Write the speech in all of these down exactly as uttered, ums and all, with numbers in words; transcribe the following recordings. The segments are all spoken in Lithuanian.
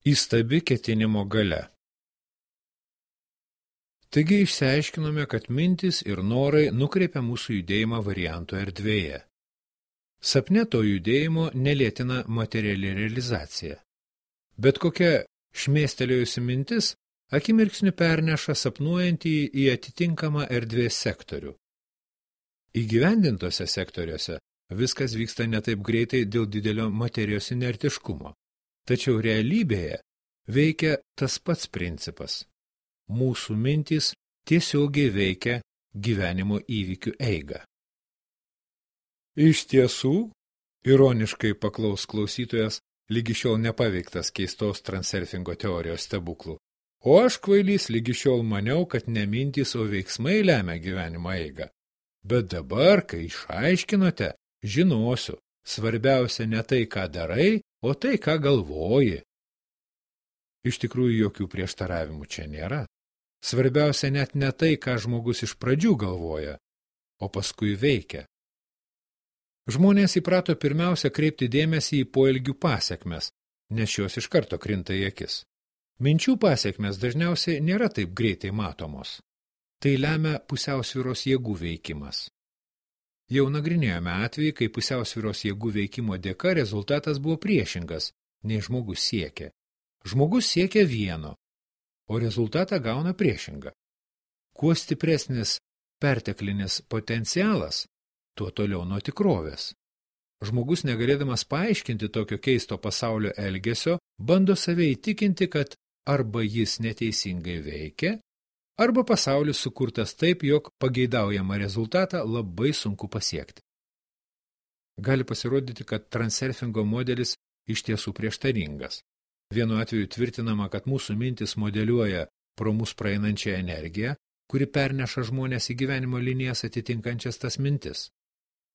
Įstabi ketinimo galia. Taigi išsiaiškinome, kad mintys ir norai nukreipia mūsų judėjimą variantų erdvėje. Sapne to judėjimo nelėtina materiali realizacija. Bet kokia šmėstelėjusi mintis akimirksniu perneša sapnuojantį į atitinkamą erdvės sektorių. Įgyvendintose sektoriuose viskas vyksta ne taip greitai dėl didelio materijos inertiškumo. Tačiau realybėje veikia tas pats principas. Mūsų mintys tiesiogiai veikia gyvenimo įvykių eigą. Iš tiesų, ironiškai paklaus klausytojas, lygi šiol nepaveiktas keistos transurfingo teorijos stebuklų. O aš kvailys lygi šiol maniau, kad ne mintys, o veiksmai lemia gyvenimo eigą. Bet dabar, kai išaiškinote, žinosiu, svarbiausia ne tai, ką darai, o tai, ką galvoji. Iš tikrųjų, jokių prieštaravimų čia nėra. Svarbiausia net ne tai, ką žmogus iš pradžių galvoja, o paskui veikia. Žmonės įprato pirmiausia kreipti dėmesį į poelgių pasekmes, nes šios iš karto krinta į akis. Minčių pasekmes dažniausiai nėra taip greitai matomos. Tai lemia pusiausvyros jėgų veikimas. Jau nagrinėjome atvejį, kai pusiausvyros jėgų veikimo dėka rezultatas buvo priešingas, nei žmogus siekia. Žmogus siekia vieno, o rezultatą gauna priešingą. Kuo stipresnis perteklinis potencialas, tuo toliau nuo tikrovės. Žmogus, negalėdamas paaiškinti tokio keisto pasaulio elgesio, bando save įtikinti, kad arba jis neteisingai veikia, arba pasaulis sukurtas taip, jog pageidaujamą rezultatą labai sunku pasiekti. Gali pasirodyti, kad transurfingo modelis iš tiesų prieštaringas. Vienu atveju tvirtinama, kad mūsų mintis modeliuoja pro mus praeinančią energiją, kuri perneša žmonės į gyvenimo linijas atitinkančias tas mintis.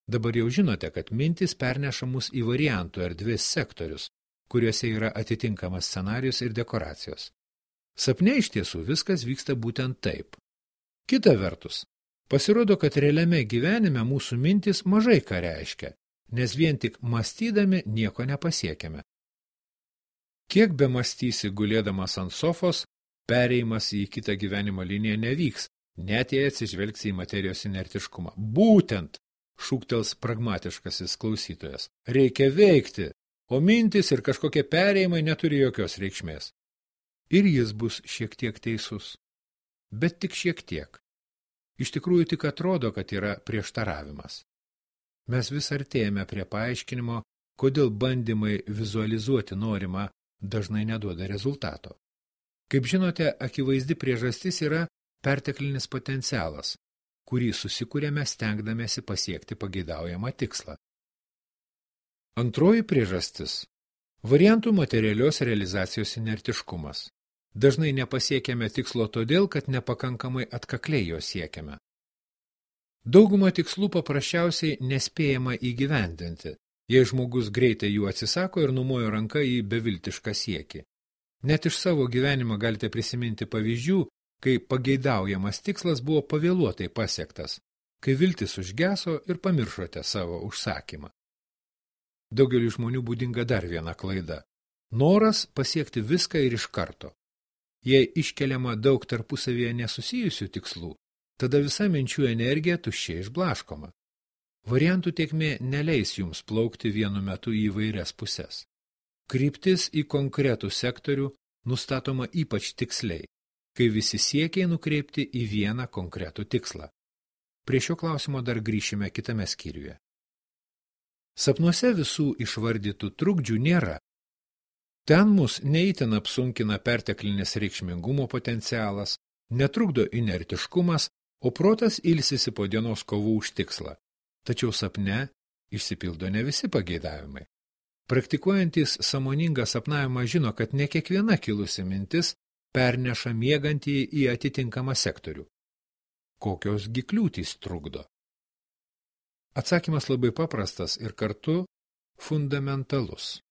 Dabar jau žinote, kad mintis perneša mus į variantų erdvės sektorius, kuriuose yra atitinkamas scenarijus ir dekoracijos. Sapne iš tiesų viskas vyksta būtent taip. Kita vertus, pasirodo, kad realiame gyvenime mūsų mintis mažai ką reiškia, nes vien tik mąstydami nieko nepasiekiame. Kiek be mąstysi gulėdamas ant sofos, pereimas į kitą gyvenimo liniją nevyks, net jei atsižvelgsi į materijos inertiškumą. Būtent, šūktels pragmatiškasis klausytojas, reikia veikti, o mintis ir kažkokie pereimai neturi jokios reikšmės. Ir jis bus šiek tiek teisus. Bet tik šiek tiek. Iš tikrųjų tik atrodo, kad yra prieštaravimas. Mes vis artėjame prie paaiškinimo, kodėl bandymai vizualizuoti norimą dažnai neduoda rezultato. Kaip žinote, akivaizdi priežastis yra perteklinis potencialas, kurį susikūrėme stengdamėsi pasiekti pageidaujamą tikslą. Antroji priežastis – variantų materialios realizacijos inertiškumas. Dažnai nepasiekėme tikslo todėl, kad nepakankamai atkakliai jo siekiame. Daugumą tikslų paprasčiausiai nespėjama įgyvendinti, jei žmogus greitai jų atsisako ir numojo ranka į beviltišką siekį. Net iš savo gyvenimą galite prisiminti pavyzdžių, kai pageidaujamas tikslas buvo pavėluotai pasiektas, kai viltis užgeso ir pamiršote savo užsakymą. Daugeliui žmonių būdinga dar viena klaida – noras pasiekti viską ir iš karto. Jei iškeliama daug tarpusavyje nesusijusių tikslų, tada visa minčių energija tuščiai išblaškoma. Variantų tėkmė neleis jums plaukti vienu metu į įvairias puses. Kryptis į konkretų sektorių nustatoma ypač tiksliai, kai visi siekiai nukreipti į vieną konkretų tikslą. Prie šio klausimo dar grįšime kitame skyriuje. Sapnuose visų išvardytų trukdžių nėra. Ten mus neįtin apsunkina perteklinis reikšmingumo potencialas, netrukdo inertiškumas, o protas ilsisi po dienos kovų už tikslą. Tačiau sapne išsipildo ne visi pageidavimai. Praktikuojantys sąmoningą sapnavimą žino, kad ne kiekviena kilusi mintis perneša miegantį į atitinkamą sektorių. Kokios gi kliūtys trukdo? Atsakymas labai paprastas ir kartu fundamentalus.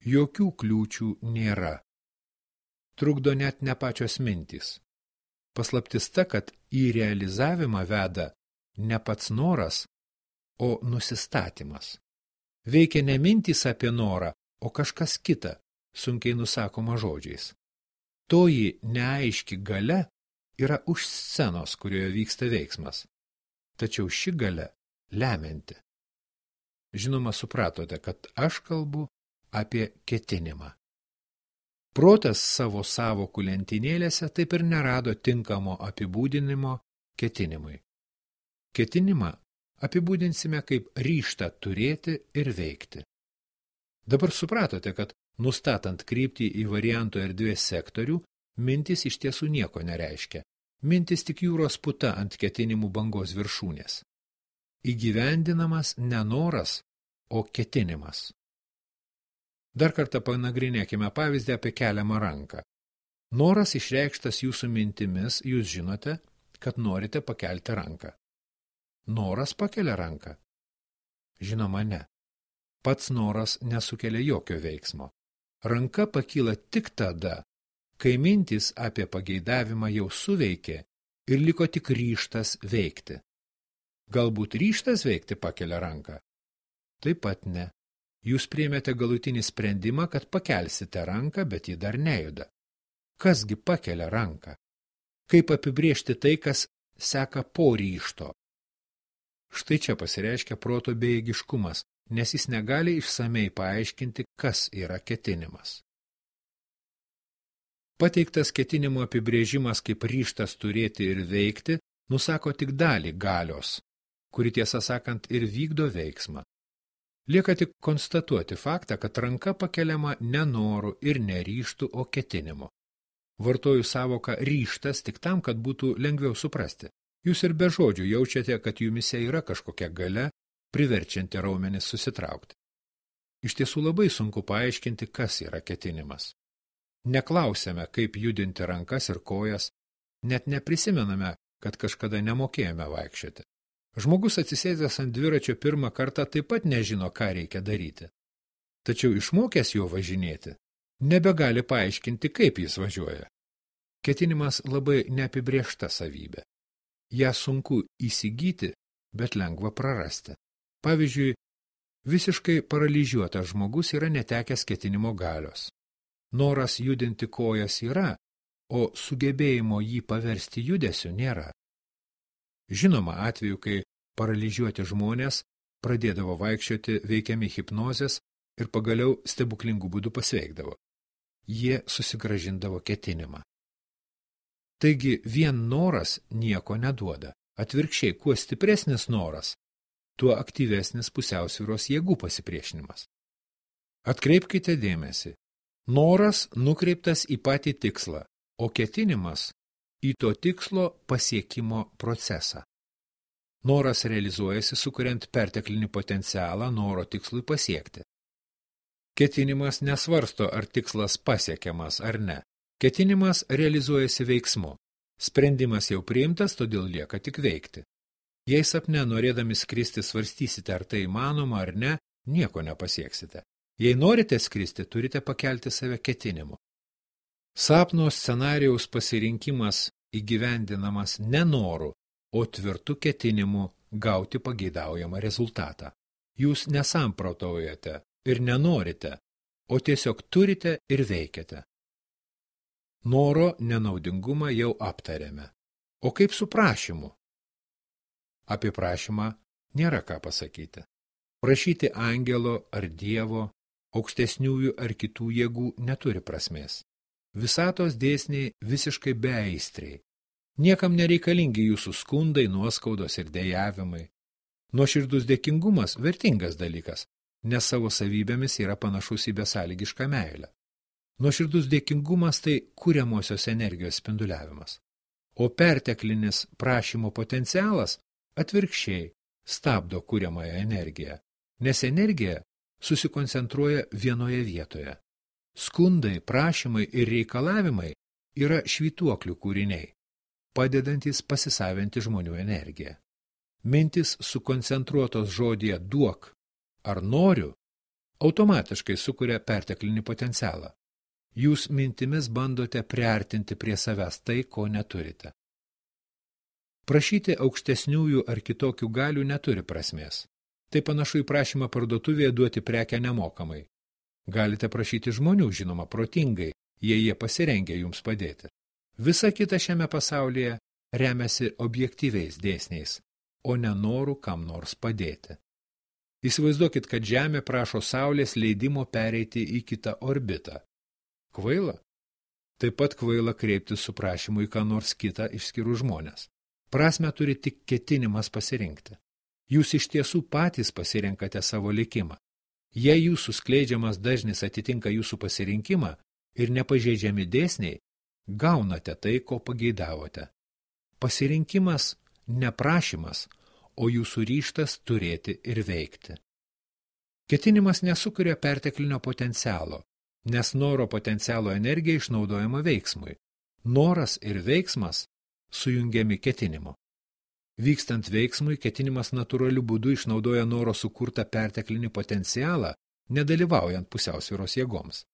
Jokių kliūčių nėra. Trukdo net ne pačios mintys. Paslaptis ta, kad į realizavimą veda ne pats noras, o nusistatymas. Veikia ne mintys apie norą, o kažkas kita, sunkiai nusakoma žodžiais. Toji neaiški galia yra už scenos, kurioje vyksta veiksmas. Tačiau ši galia lemianti. Žinoma, supratote, kad aš kalbu apie ketinimą. Protas savo sąvokų lentynėlėse taip ir nerado tinkamo apibūdinimo ketinimui. Ketinimą apibūdinsime kaip ryžtą turėti ir veikti. Dabar supratote, kad nustatant kryptį į varianto erdvės sektorių, mintis iš tiesų nieko nereiškia. Mintis tik jūros puta ant ketinimų bangos viršūnės. Įgyvendinamas ne noras, o ketinimas. Dar kartą panagrinėkime pavyzdį apie keliamą ranką. Noras išreikštas jūsų mintimis, jūs žinote, kad norite pakelti ranką. Noras pakelia ranką? Žinoma, ne. Pats noras nesukelia jokio veiksmo. Ranka pakyla tik tada, kai mintis apie pageidavimą jau suveikė ir liko tik ryžtas veikti. Galbūt ryžtas veikti pakelia ranką? Taip pat ne. Jūs priėmėte galutinį sprendimą, kad pakelsite ranką, bet ji dar nejuda. Kasgi pakelia ranką? Kaip apibrėžti tai, kas seka po ryžto? Štai čia pasireiškia proto bejėgiškumas, nes jis negali išsamei paaiškinti, kas yra ketinimas. Pateiktas ketinimo apibrėžimas kaip ryžtas turėti ir veikti, nusako tik dalį galios, kuri tiesą sakant ir vykdo veiksmą. Lieka tik konstatuoti faktą, kad ranka pakeliama ne noru ir ne ryžtu, o ketinimu. Vartoju sąvoką ryžtas tik tam, kad būtų lengviau suprasti. Jūs ir be žodžių jaučiate, kad jumise yra kažkokia galia, priverčianti raumenis susitraukti. Iš tiesų labai sunku paaiškinti, kas yra ketinimas. Neklausėme, kaip judinti rankas ir kojas, net neprisimename, kad kažkada nemokėjome vaikščioti. Žmogus atsisėdęs ant dviračio pirmą kartą taip pat nežino, ką reikia daryti. Tačiau išmokęs jo važinėti, nebegali paaiškinti, kaip jis važiuoja. Ketinimas labai neapibrėžta savybė. Ja sunku įsigyti, bet lengva prarasti. Pavyzdžiui, visiškai paralyžiuotas žmogus yra netekęs ketinimo galios. Noras judinti kojas yra, o sugebėjimo jį paversti judesiu nėra. Žinoma, atveju, kai paralyžiuoti žmonės pradėdavo vaikščioti veikiami hipnozės ir pagaliau stebuklingų būdų pasveikdavo. Jie susigrąžindavo ketinimą. Taigi vien noras nieko neduoda. Atvirkščiai, kuo stipresnis noras, tuo aktyvesnis pusiausvyros jėgų pasipriešinimas. Atkreipkite dėmesį. Noras nukreiptas į patį tikslą, o ketinimas į to tikslo pasiekimo procesą. Noras realizuojasi, sukuriant perteklinį potencialą noro tikslui pasiekti. Ketinimas nesvarsto, ar tikslas pasiekiamas ar ne. Ketinimas realizuojasi veiksmu. Sprendimas jau priimtas, todėl lieka tik veikti. Jei sapne norėdami skristi svarstysite, ar tai įmanoma ar ne, nieko nepasieksite. Jei norite skristi, turite pakelti save ketinimu. Sapno scenarijaus pasirinkimas įgyvendinamas ne noru, o tvirtu ketinimu gauti pageidaujamą rezultatą. Jūs nesamprotaujate ir nenorite, o tiesiog turite ir veikiate. Noro nenaudingumą jau aptarėme. O kaip su prašymu? Apie prašymą nėra ką pasakyti. Prašyti angelo ar dievo, aukštesniųjų ar kitų jėgų neturi prasmės. Visatos dėsniai visiškai beaistriai. Niekam nereikalingi jūsų skundai, nuoskaudos ir dejavimai. Nuoširdus dėkingumas vertingas dalykas, nes savo savybėmis yra panašus į besąlygišką meilę. Nuoširdus dėkingumas tai kuriamosios energijos spinduliavimas. O perteklinis prašymo potencialas atvirkščiai stabdo kuriamąją energiją, nes energija susikoncentruoja vienoje vietoje. Skundai, prašymai ir reikalavimai yra švytuoklių kūriniai, padedantis pasisavinti žmonių energiją. Mintis sukoncentruotos žodyje duok ar noriu automatiškai sukuria perteklinį potencialą. Jūs mintimis bandote priartinti prie savęs tai, ko neturite. Prašyti aukštesniųjų ar kitokių galių neturi prasmės. Tai panašu į prašymą parduotuvėje duoti prekę nemokamai. Galite prašyti žmonių, žinoma, protingai, jei jie pasirengia jums padėti. Visa kita šiame pasaulyje remiasi objektyviais dėsniais, o ne noru kam nors padėti. Įsivaizduokit, kad Žemė prašo Saulės leidimo pereiti į kitą orbitą. Kvaila? Taip pat kvaila kreiptis su prašymu į ką nors kitą išskyrus žmonės. Prasmę turi tik ketinimas pasirinkti. Jūs iš tiesų patys pasirenkate savo likimą. Jei jūsų skleidžiamas dažnis atitinka jūsų pasirinkimą ir nepažeidžiami dėsniai, gaunate tai, ko pageidavote. Pasirinkimas ne prašymas, o jūsų ryžtas turėti ir veikti. Ketinimas nesukuria perteklinio potencialo, nes noro potencialo energija išnaudojama veiksmui. Noras ir veiksmas sujungiami ketinimu. Vykstant veiksmui, ketinimas natūraliu būdu išnaudoja noro sukurtą perteklinį potencialą, nedalyvaujant pusiausvyros jėgoms.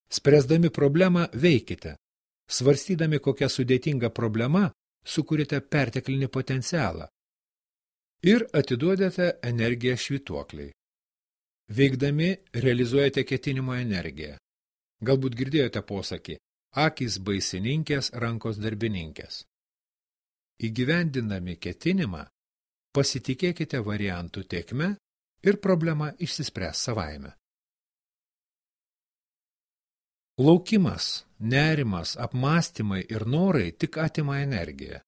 Spręsdami problemą veikite. Svarstydami, kokia sudėtinga problema, sukūrite perteklinį potencialą ir atiduodate energiją švytuokliai. Veikdami realizuojate ketinimo energiją. Galbūt girdėjote posakį: akys baisininkės, rankos darbininkės. Įgyvendindami ketinimą, pasitikėkite variantų tėkme ir problema išsispręs savaime. Laukimas, nerimas, apmąstymai ir norai tik atima energiją.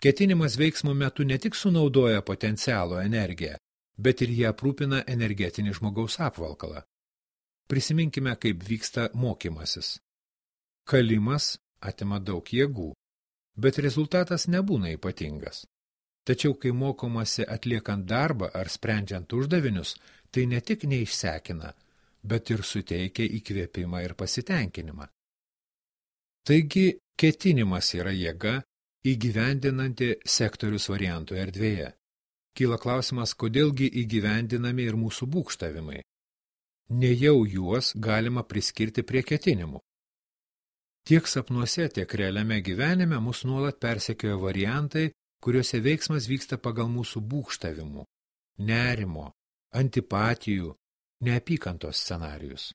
Ketinimas veiksmo metu ne tik sunaudoja potencialo energiją, bet ir jie aprūpina energetinį žmogaus apvalkalą. Prisiminkime, kaip vyksta mokymasis. Kalimas atima daug jėgų, bet rezultatas nebūna ypatingas. Tačiau, kai mokomasi atliekant darbą ar sprendžiant uždavinius, tai ne tik neišsekina, bet ir suteikia įkvėpimą ir pasitenkinimą. Taigi, ketinimas yra jėga, įgyvendinanti sektorius variantų erdvėje. Kyla klausimas, kodėlgi įgyvendinami ir mūsų būgštavimai. Nejau juos galima priskirti prie ketinimų. Tiek sapnuose, tiek realiame gyvenime mus nuolat persekioja variantai, kuriuose veiksmas vyksta pagal mūsų būgštavimų, nerimo, antipatijų, neapykantos scenarijus.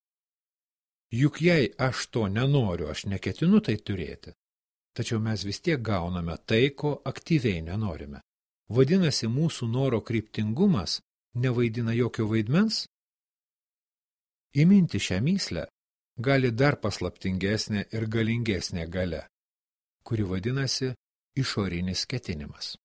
Juk jei aš to nenoriu, aš neketinu tai turėti, tačiau mes vis tiek gauname tai, ko aktyviai nenorime. Vadinasi, mūsų noro kryptingumas nevaidina jokio vaidmens? Įminti šią mįslę gali dar paslaptingesnė ir galingesnė galia, kuri vadinasi išorinis ketinimas.